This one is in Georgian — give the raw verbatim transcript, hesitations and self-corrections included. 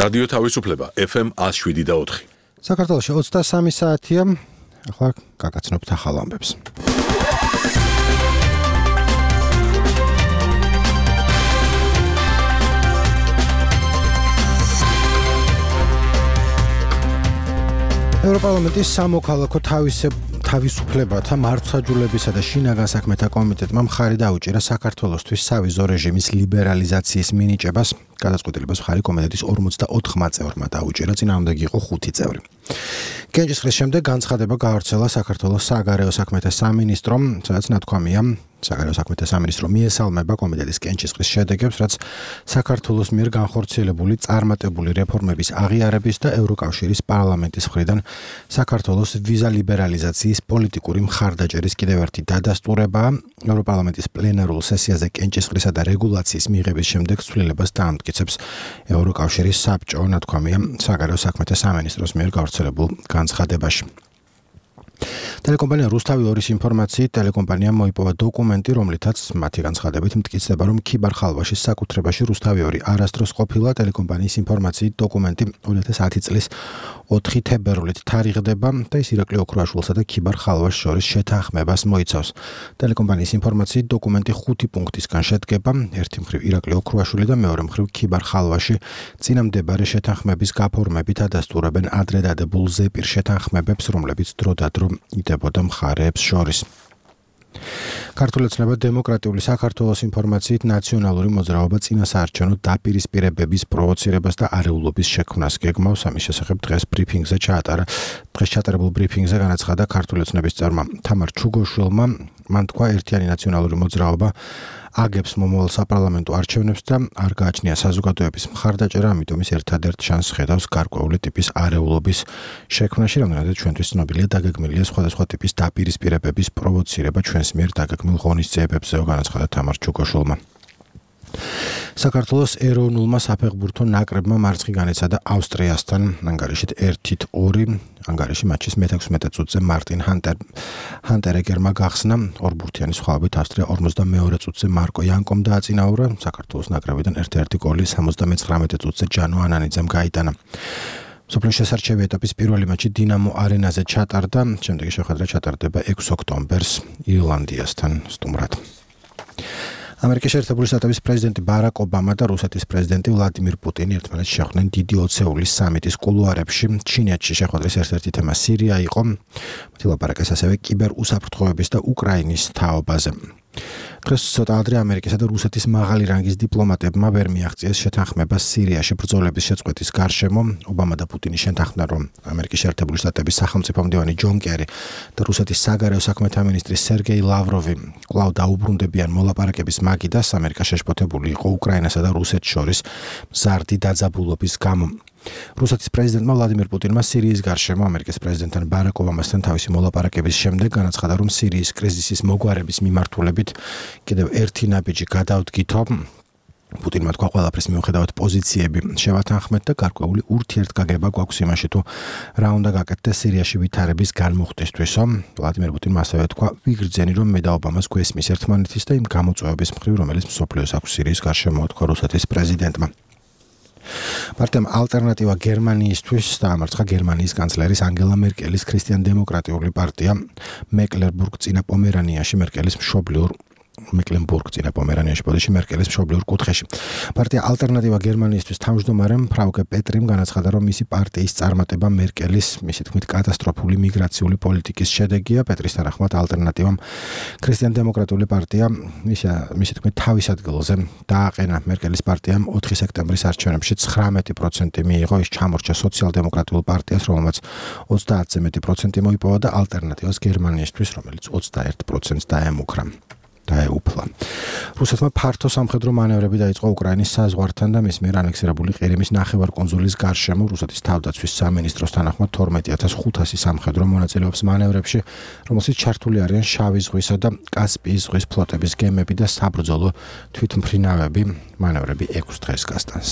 რადიო თავისუფლება ეფ ემ one oh seven და four. საქართველოში ოცდასამი საათია. ახლა გაგაცნობთ ახალ ამბებს. ევროპარლამენტის სამოქალაქო თავისუფლებათა მართლმსაჯულებისა და შინაგან საქმეთა კომიტეტმა მხარი დაუჭირა საქართველოსთვის სავიზო რეჟიმის ლიბერალიზაციის მინიჭებას. გადაწყვეტილებას მხარი კომიტეტის ორმოცდაოთხ წევრმა დაუჭირა, წინააღმდეგ იყო ხუთი წევრი. კენჭისყრის შემდეგ განცხადება გაავრცელა საქართველოს საგარეო საქმეთა სამინისტრომ, სადაც ნათქვამია, საგარეო საქმეთა სამინისტრო მიესალმება კომიტეტის კენჭისყრის შედეგებს, რაც საქართველოს მიერ განხორციელებული წარმატებული რეფორმების აღიარების და ევროკავშირის პარლამენტის მხრიდან საქართველოს ვიზა ლიბერალიზაციის პოლიტიკური მხარდაჭერის კიდევ ერთი დადასტურებაა. ევროპარლამენტის პლენარულ სესიაზე კენჭისყრისა და რეგულაციის მიღების შემდეგ ცვლილებას დაამტკიცებს ევროკავშირის საბჭო, ნათქვამია საგარეო საქმეთა სამინისტროს მიერ გავრცელებულ განცხადებაში. ტელეკომპანია რუსთავი ორის ინფორმაციით, ტელეკომპანიამ მოიპოვა დოკუმენტი, რომლითაც მათი განცხადებით მტკიცდება, რომ ქიბარ ხალვაშის საკუთრებაში რუსთავი ორი არასდროს ყოფილა. ტელეკომპანიის ინფორმაციით დოკუმენტი ორი ათას ათი წლის ოთხი თებერვლით თარიღდება და ის ირაკლი ოქროაშვილსა და ქიბარ ხალვაშს შორის შეთანხმებას მოიცავს. ტელეკომპანიის ინფორმაციით დოკუმენტი ხუთი პუნქტისგან შედგება. ერთი მხრივ ირაკლი ოქროაშვილი და მეორე მხრივ ქიბარ ხალვაში წინამდებარე შეთანხმების გაფორმებით ადასტურებენ ადრე დადებულ ზეპირ შეთანხმებებს, რომლებიც დროდადრო იდებოდა მხარეებს შორის. ქართული ოცნება დემოკრატიული საქართველოს ინფორმაციით ნაციონალური მოძრაობა წინასაარჩევნო დაპირისპირებების პროვოცირებას და არეულობის შექმნას გეგმავს. ამის შესახებ დღეს ბრიფინგზე ჩაატარა. დღეს ჩატარებულ ბრიფინგზე განაცხადა ქართული ოცნების წევრმა თამარ ჩუგოშვილმა. მან თქვა, ერთიანი ნაციონალური მოძრაობა აგებს მომავალ საპარლამენტო არჩევნებს და არ გააჩნია საზოგადოების მხარდაჭერა, ამიტომ ის ერთადერთ შანსს ხედავს გარკვეული ტიპის არეულობის შექმნაში, რამდენადაც ჩვენთვის ცნობილია დაგეგმილია სხვადასხვა ტიპის დაპირისპირებების პროვოცირება ჩვენს მიერ დაგეგმილ ღონისძიებებზეო, განაცხადა თამარ ჩუგოშვილმა. საქართველოს ეროვნულმა საფეხბურთო ნაკრებმა მარცხი განეცადა ავსტრიასთან, ანგარიშით ერთით ორი, ანგარიში მატჩის მეთექვსმეტე წუთზე მარტინ ჰანტერ ჰანტერეგერმა გახსნა, ორბურთიანი სხვაობით ავსტრია ორმოცდამეორე წუთზე მარკო იანკომ დააწინაურა, საქართველოს ნაკრებიდან ერთ-ერთი გოლი სამოცდამეცხრამეტე წუთზე ჯანო ანანიძემ გაიტანა. სოფლის შესარჩევი ეტაპის პირველი მატჩი დინამო არენაზე ჩატარდა, შემდეგი შეხვედრა ჩატარდება ექვსი ოქტომბერს ირლანდიასთან სტუმრად. ამერიკის შეერთებული შტატების პრეზიდენტი ბარაკ ობამა და რუსეთის პრეზიდენტი ვლადიმირ პუტინი ერთმანეთს შეხვდნენ დიდი ოცეულის სამიტის კულუარებში. ჩინეთში შეხვედრის ერთ-ერთი თემა სირია იყო. მათი ლაპარაკეს ასევე კიბერ უსაფრთხოების და უკრაინის თაობაზე. დღეს ცოტა ადრე ამერიკისა და რუსეთის მაღალი რანგის დიპლომატებმა ვერ მიაღწიეს შეთანხმებას სირიაში ბრძოლების შეწყვეტის გარშემო. ობამა და პუტინი შეთანხმდნენ, რომ ამერიკის შეერთებული შტატების სახელმწიფო მდივანი ჯონ კერი და რუსეთის საგარეო საქმეთა მინისტრი სერგეი ლავროვი კვლავ დაუბრუნდებიან მოლაპარაკების მაგიდას. ამერიკა შეშფოთებული იყო უკრაინასა და რუსეთს შორის მზარდი დაძაბულობის გამო. რუსეთის პრეზიდენტმა ვლადიმირ პუტინმა სირიის გარშემო ამერიკის პრეზიდენტთან ბარაკ ობამასთან თავისი მოლაპარაკების შემდეგ განაცხადა, რომ სირიის კრიზისის მოგვარების მიმართულებით კიდევ ერთი ნაბიჯი გადავდგითო. პუტინმა თქვა, ყველაფრის მიუხედავად პოზიციები შევათანხმეთ და გარკვეული ურთიერთგაგება გვაქვს იმაში, თუ რა უნდა გაკეთდეს სირიაში ვითარების განმუხტისთვისო. ვლადიმირ პუტინმა ასევე თქვა, ვიგრძენი, რომ მე და ობამას გვესმის ერთმანეთის და იმ გამოწვევების მხრივ, რომელიც მსოფლიოს აქვს სირიის გარშემო, თქვა რუსეთის პრეზიდენტმა. პარტიამ ალტერნატივა გერმანიისთვის დაამარცხა გერმანიის კანცლერის ანგელა მერკელის ქრისტიან-დემოკრატიული პარტია მეკლენბურგ წინა პომერანიაში მერკელის მშობლიურ მეკლენბურგ წინა პომერანიაში პოდეში მერკელის მშობლიურ კუთხეში. პარტია ალტერნატივა გერმანიისთვის თავმჯდომარემ ფრაუკე პეტრიმ განაცხადა, რომ მისი პარტიის წარმატება მერკელის, მისი თქმით, კატასტროფული მიგრაციული პოლიტიკის შედეგია. პეტრის თანახმად ალტერნატივამ ქრისტიან-დემოკრატიული პარტია მისი თქმით თავის ადგილზე დააყენა. მერკელის პარტიამ ოთხი სექტემბრის არჩევნებში ცხრამეტი პროცენტი მიიღო, ის ჩამორჩა სოციალ-დემოკრატიულ პარტიას, რომელმაც ოცდაათზე მეტი პროცენტი მოიპოვა და ალტერნატივას გერმანიისთვის, რომელიც ოცდაერთ პროცენტს დაემუქრა. დაეუფლა. რუსეთმა ფართო სამხედრო მანევრები დაიწყო უკრაინის საზღვართან და მის მიერ ანექსირებული ყირიმის ნახევარკუნძულის გარშემო. რუსეთის თავდაცვის სამინისტროს თანახმად თორმეტი ათას ხუთასი სამხედრო მონაწილეობს მანევრებში, რომელშიც ჩართული არიან შავი ზღვისა და კასპიის ზღვის ფლოტების გემები და საბრძოლო თვითმფრინავები. მანევრები ექვს დღეს გასტანს.